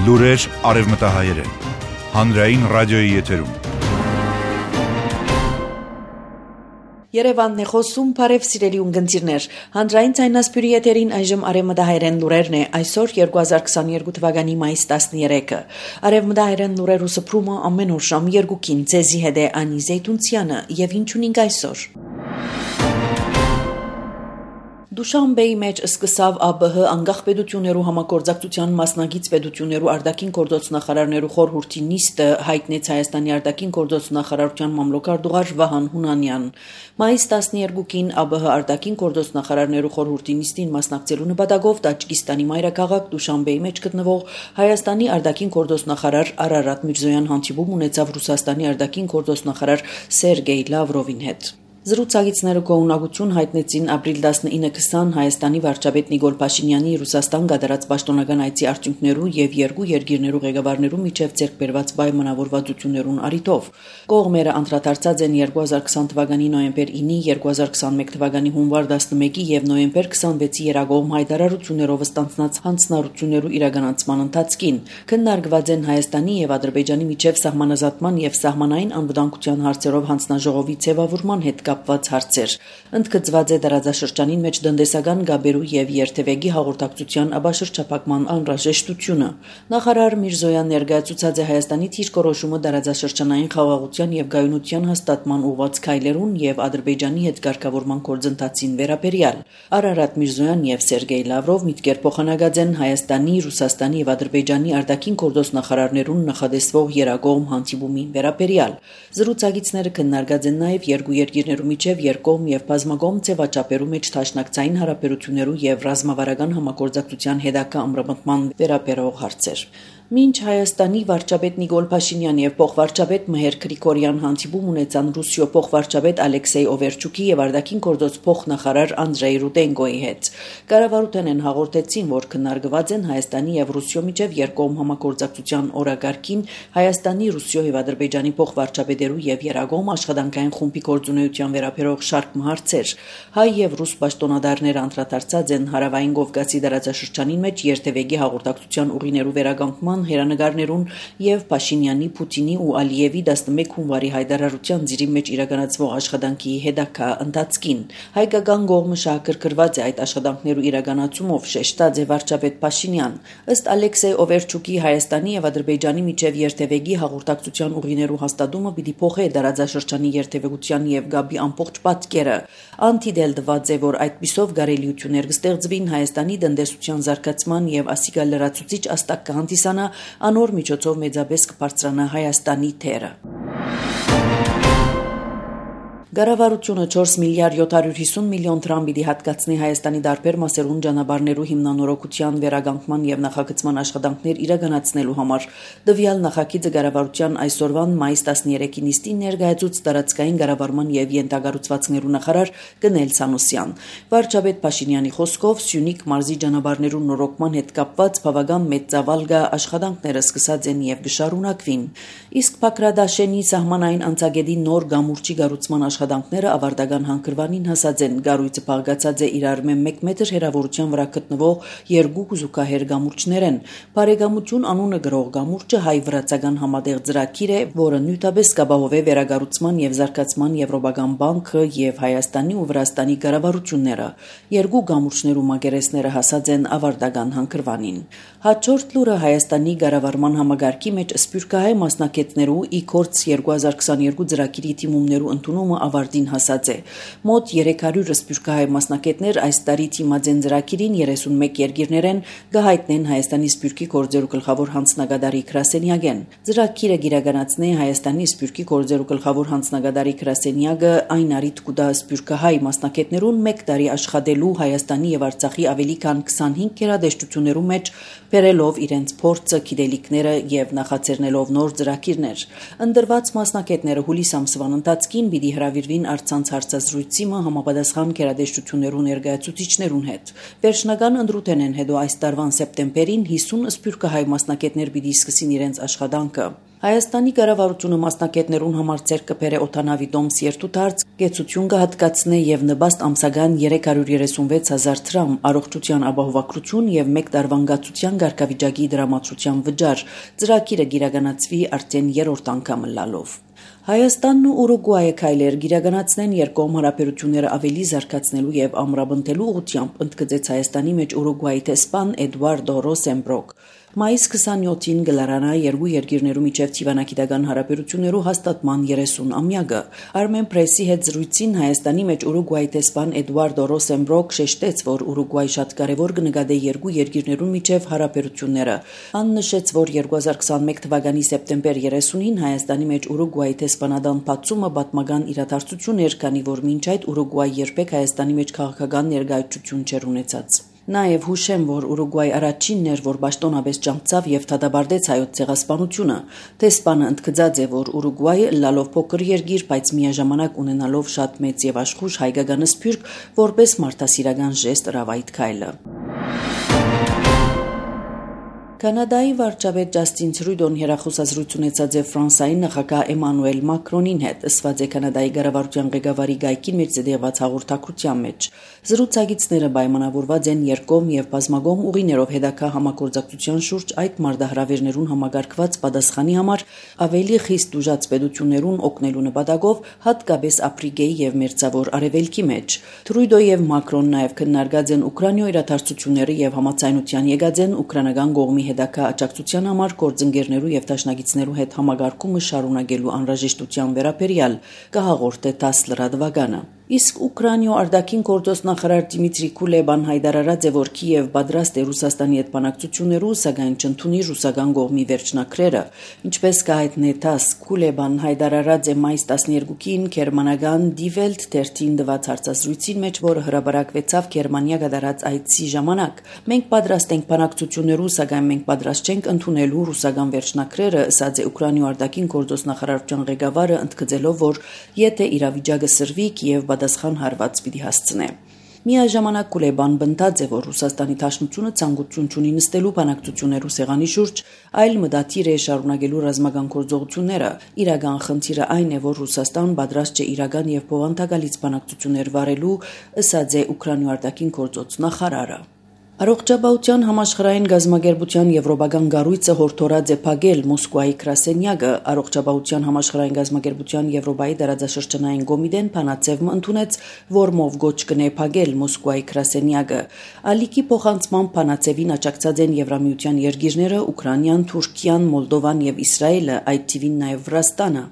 Լուրեր արևմտահայերեն, հանրային ռադիոյի եթերում։ Երևանն է խոսում, բարև սիրելի ունգընտիրներ, հանրային ցայնասպյուրի եթերին այժմ արևմտահայերեն լուրերն է, այսօր 2022 թվականի մայիս 13-ը։ Արևմտահայերեն լուրերու սփռումը ամեն օր ժամ 2-ին ձեզի հետ է Անի Զեյթունցյանը եւ ինչ ունենք այսօր։ Դուշանբեի մեջ սկսավ ԱԲՀ անկախ պետություններու համագործակցության մասնագիծ պետություններու արտաքին գործոց նախարարներու խորհրդի նիստը հայտնեց Հայաստանի արտաքին գործոց նախարարության մամլոքարտուղար Վահան Հունանյան։ Մայիս 12-ին ԱԲՀ արտաքին գործոց նախարարներու խորհրդի նիստին մասնակցելու նպատակով Տաջիկստանի մայրաքաղաք Դուշանբեի մեջ գտնվող Հայաստանի արտաքին գործոց նախարար Արարատ Միրզոյան հանդիպում ունեցավ Ռուսաստանի արտաքին գործոց նախարար Սերգեյ Լավրովին հետ։ Զրուցակիցները գոհունակություն հայտնեցին ապրիլ 19-20 Հայաստանի վարչապետ Նիկոլ Փաշինյանի Ռուսաստան կատարած պաշտոնական այցի արդյունքներու եւ երկու երկիրներու ղեկավարներու միջև ձեռք բերված պայմանավորվածություններուն առիթով։ Կողմերը անդրադարձած են 2020 թվականի նոյեմբեր 9-ի, 2021 թվականի հունվար 11-ի եւ նոյեմբեր 26-ի երագողմ հայտարարություններով ստանձնած հանձնառություններու իրականացման ընթացքին։ Քննարկված են Հայաստանի եւ Ադրբեջանի միջև սահմանազատման եւ սահմանային անվտանգության հարցերով հանձնաժողովի ձևավորման հետ կապված հարցեր։ Ընդգծված է տարածաշրջանին մեջ տնտեսական գաբերու եւ երթևեկի հաղորդակցության աբաշրջափակման անհրաժեշտությունը։ Նախարար Միրզոյան ներկայացուցած է Հայաստանի դիրքորոշումը տարածաշրջանային խաղաղության եւ գայունության հաստատման ուղղված քայլերուն եւ Ադրբեջանի հետ կարգավորման գործընթացին վերաբերյալ։ Արարատ Միրզոյան եւ Սերգեյ Լավրով միտքեր փոխանակած են Հայաստանի, Ռուսաստանի եւ Ադրբեջանի արտաքին գործոց նախարարներուն նախադեсվող երագողմ հանդիպումին վերաբերյալ։ Զրուցակիցները քննարկած են նաեւ երկու երկիրներու միջև երկկողմ եւ բազմակողմ ձևաչափերու մեջ դաշնակցային հարաբերություններու եւ ռազմավարական համագործակցության հետագա ամրապնդման վերաբերող հարցեր։ Մինչ Հայաստանի վարչապետ Նիկոլ Փաշինյան եւ փոխվարչապետ Մհեր Գրիգորյան հանդիպում ունեցան Ռուսիո փոխվարչապետ Ալեքսեյ Օվերչուկի եւ արտաքին գործոց փոխնախարար Անդրեյ Ռուտենկոյի հետ։ Կառավարութենեն հաղորդեցին, որ քննարկված են Հայաստանի եւ Ռուսիո միջև երկկողմ համագործակցության օրակարգին Հայաստանի, Ռուսիո եւ Ադրբեջանի փոխվարչապետերու եւ երագողմ աշխատանքային խումբի գործունեության վերաբերող շարք հարցեր։ Հայ եւ ռուս պաշտոնատարները անդրադարձած են Հարավային Կովկասի տարածաշրջանին մեջ երթևեկի հաղորդակցության ուղիներու վերականգնման հերանեկարներուն եւ Փաշինյանի, Պուտինի ու Ալիևի 11 հունվարի հայտարարության ծիրի մեջ իրականացվող աշխատանքի հետագա ընթացքին։ Հայկական կողմը շահագրգռված է այդ աշխատանքներու իրականացումով, շեշտած է վարչապետ Փաշինյան։ Ըստ Ալեքսեյ Օվերչուկի Հայաստանի եւ Ադրբեջանի միջև երթևեկի հաղորդակցության ուղիներու հաստատումը պիտի փոխի տարածաշրջանի երթևեկության եւ գաբի ամբողջ պատկերը։ Անտիդելդված է, որ այդպիսով գարելիություններ կստեղծվին Հայաստանի տնտեսության զարգացման եւ ասիկա լրացուցիչ աստակ կհանդիսանա անոր միջոցով մեծապես կբարձրանա Հայաստանի թերը։ Կառավարությունը 4 միլիարդ 750 միլիոն դրամ պիտի հատկացնի Հայաստանի դարբեր մասերուն ճանապարհներու հիմնանորոգության վերականգնման եւ նախագծման աշխատանքներ իրականացնելու համար։ Տվյալ նախագիծը կառավարության այսօրվան մայիս 13-ի նիստին ներկայացուց տարածքային կառավարման եւ յենթագառուցվածքներու նախարար Գնել Սանոսյան։ Վարչապետ Փաշինյանի խոսքով Սյունիք մարզի ճանապարհներու նորոգման հետ կապված բավական մեծ ծավալ կա աշխատանքները սկսած են եւ կշարունակվին։ Իսկ Բաքրադաշենի սահմանային անցագետի նոր գամուրջի կառուցման աշխատանքները ավարտական հանգրվանին հասած են։ Գառույցը փաղկացած է իրար 1 մետր հեռավորության վրա գտնվող երկու գուզուկահեր գամուրջներ են։ Բարեկամություն անունը գրող գամուրջը հայ-վրացական համատեղ ծրագիր է, որը նյութապես կապահովի վերագառուցման եւ զարգացման Եվրոպական բանկը եւ Հայաստանի ու Վրաստանի կառավարությունները։ Երկու գամուրջներու մակերեսները հասած են ավարտական հանգրվանին։ Հաջորդ լուրը Հայաստանի կառավարման համագարկի մեջ սփյուռքահայ մասնակիցներու իքորց 2022 ծրագիրի թիմումներու ընդունումը ավարտին հասած է։ Մոտ 300 սփյուռքահայ մասնակիցներ այս տարի թիմաձեն ծրագիրին 31 երկիրներեն կհայտնեն Հայաստանի սփյուռքի գործերու գլխավոր հանձնագետարի գրասենյակեն։ Ծրագիրը կիրականացնի Հայաստանի սփյուռքի գործերու գլխավոր հանձնագետարի գրասենյակը այն առիթ կուտա սփյուռքահայ մասնակիցներուն 1 տարի աշխատելու Հայաստանի եւ Արցախի ավելի քան 25 գերադաշտություններու մեջ բերելով իրենց փորձը, գիտելիքները եւ նախաձեռնելով նոր ծրագիրներ։ Ընդրված մասնակիցները հուլիս ամսվան ընթացքին պիտի հրավիրվին առցանց հարցազրույցի համապատասխան գերադաշտություններու ներկայացուցիչներուն հետ։ Վերջնական ընդրութեն են հետո այս տարվան սեպտեմբերին 50 սփյուռքահայ մասնակիցներ պիտի սկսին իրենց աշխատանքը։ Հայաստանի կառավարությունը մասնակիցներուն համար ցերկ կբերե օդանավի դոմս երթուտարց, կեցություն կհատկացնե եւ նպաստ ամսական 336,000 դրամ, առողջության ապահովագրություն եւ 1 տարվան գացության ղեկավիճակի դրամատրության վճար։ Ծրագիրը գիրականացվի արդեն 3-րդ անգամ լալով։ Հայաստանն ու Ուրուգվայը քայլեր գիրականացնեն երկկողմ հարաբերությունները ավելի զարգացնելու եւ ամրապնդելու ուղղությամբ, ընդգծեց Հայաստանի մեջ Ուրուգվայի տեսփան Էդուարդո Ռոսենբրոկ։ Մայիս 27-ին գլարանա երկու երկիրներու միջև թիվանակիտական հարաբերություններու հաստատման 30-ամյակը։ Armen Press-ի հետ զրույցին Հայաստանի մեջ Ուրուգվայի տեսփան Էդուարդո Ռոսենբրոկ շեշտեց, որ Ուրուգվայի շատ կարևոր կնկատե երկու երկիրներու միջև հարաբերությունները։ Ան նշեց, որ 2021 թվականի սեպտեմբեր 30-ին Հայաստանի մեջ Ուրուգվայի տեսփանադան բացումը պատմական իրադարձություն էր, քանի որ մինչ այդ Ուրուգվայի երբեք Հայաստանի մեջ քաղաքական ներկայացություն չէր ունեցած։ Նաև հուշեմ, որ Ուրուգվայի առաջինն էր, որ պաշտոնապես ջանցավ եւ դադարեցրեց հայոց ցեղասպանությունը։ Տեսփանը ընդգծած է, որ Ուրուգվայը լալով փոքր երկիր, բայց միաժամանակ ունենալով շատ մեծ եւ աշխույժ հայկական սփյուռք, որպես մարդասիրական ժեստ հրավայր քայլը։ Կանադայի վարչապետ Ջաստին Թրյուդոն հերախոսազրույց ունեցած է Ֆրանսիայի նախագահ Էմանուել Մակրոնին հետ, ըսված է Կանադայի կառավարության ղեկավարի գայքին մեջ ձեռված հաղորդակցության մեջ։ Զրուցակիցները պայմանավորված են երկկողմ եւ բազմակողմ ուղիներով հետագա համագործակցության շուրջ այդ մարտահրավերներուն համագարկված պատասխանի համար ավելի խիստ ուժած պետություններուն օգնելու նպատակով, հատկապես Աֆրիկայի եւ Մերձավոր Արևելքի մեջ։ Թրյուդո եւ Մակրոն նաեւ քննարկած են Ուկրաինայի իրադարձությունները եւ համաձայնության եկած են ուկրաինական կողմի հետագա աջակցության համար գործընկերներու եւ դաշնակիցներու հետ համագարկումը շարունակելու անհրաժեշտության վերաբերյալ կհաղորդե 10 լրատվականը։ Իսկ Ուկրաինայ արտաքին գործոստ նախարար Դիմիտրի Կուլեբան հայտարարած է, որ Կիև պատրաստ է Ռուսաստանի հետ բանակցություններու, սակայն չընդունի ռուսական կողմի վերջնակրերը։ Ինչպես կհայտնե ՏԱՍ, Կուլեբան հայտարարած է մայիս 12-ին գերմանական Die Welt թերթին տված հարցազրույցին մեջ, որը հրապարակվեցավ Գերմանիա կատարած այցի ժամանակ։ Մենք պատրաստ ենք բանակցություններու, սակայն մենք պատրաստ չենք ընդունելու ռուսական վերջնակրերը, ասաց է Ուկրաինայ արտաքին գործոստ նախարարության ղեկավարը, ընդգծելով, որ եթե իրավիճակը սրվի, Կիև պատասխան հարված պիտի հասցնե։ Միաժամանակ Կուլեբան բնտած է, որ Ռուսաստանի Դաշնությունը ցանկություն չունի նստելու բանակցություններու սեղանի շուրջ, այլ մտադիր է շարունակելու ռազմական գործողությունները։ Իրական խնդիրը այն է, որ Ռուսաստան պատրաստ չէ իրական եւ բովանդակալից բանակցություններ վարելու, ասաց է Ուկրաինայ արտաքին գործոց նախարարը։ Առողջապահության համաշխարհային գազམ་ագերբության եվրոպական կառույցը հորդորած է փակել Մոսկվայի գրասենյակը։ Առողջապահության համաշխարհային գազམ་ագերբության Եվրոպայի դարաձաշրջանային կոմիտեն փանացևը ընդունեց, որմով գոչ կնե փակել Մոսկվայի գրասենյակը։ Ալիքի փոխանցման փանացևին աջակցած են Եվրամիության երկիրները՝ Ուկրաինան, Թուրքիան, Մոլդովան եւ Իսրայելը, այդ թիվին նաեւ Վրաստանը։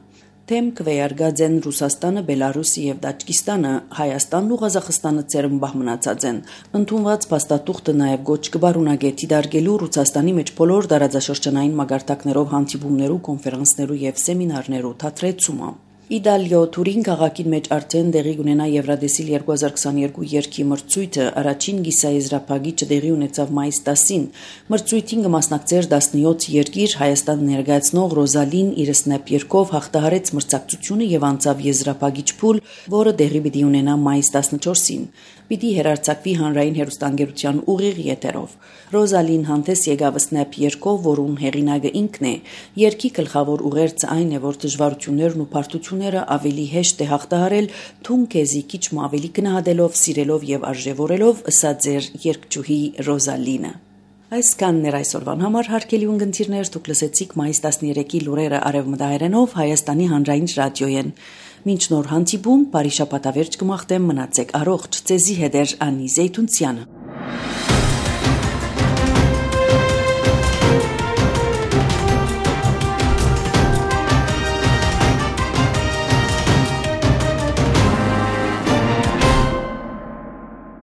Թեմ կվեարկած են Ռուսաստանը, Բելարուսը եւ Տաջիկստանը, Հայաստանն ու Ղազախստանը ծերմբահ մնացած են։ Ընդունված փաստաթուղթը նաեւ գոչ կբարունակե դիտարկելու Ռուսաստանի մեջ բոլոր դարաձաշրջանային մագարտակներով հանդիպումներու, կոնֆերանսներու եւ սեմինարներու թատրեցումը։ Իտալիո Թուրին քաղաքին մեջ արդեն տեղի ունենա Եվրադեսիլ 2022 երկի մրցույթը, առաջին գիսաեզրափակիչը տեղի ունեցավ մայիս 10-ին։ Մրցույթին կմասնակցեր 17 երկիր, Հայաստան ներկայացնող Ռոզալին իր սնեպ երկով հաղթահարեց մրցակցությունը եւ անցավ եզրափակիչ փուլ, որը տեղի պիտի ունենա մայիս 14-ին։ Պիտի հերարցակվի հանրային հեռուստաընկերության ուղիղ եթերով։ Ռոզալին հանդես եկավ սնեպ երկով, որուն հեղինակը ինքն է։ Երկի գլխավոր ուղերձը այն է, որ դժվարություններն ու բարդությունները ավելի հեշտ է հաղթահարել, թուն քեզի քիչ ավելի գնահատելով, սիրելով եւ արժեվորելով, ասաց էր երգչուհի Ռոզալինը։ Այսքանն էր այսօրվան համար, հարգելի ունկնդիրներ, դուք լսեցիք մայիս 13-ի լուրերը արևմտահայերենով Հայաստանի հանրային ռադիոյեն։ Մինչ նոր հանդիպում, բարի շաբաթավերջ կմաղթեմ, մնացեք առողջ, ձեզի հետ էր Անի Զեյթունցյանը։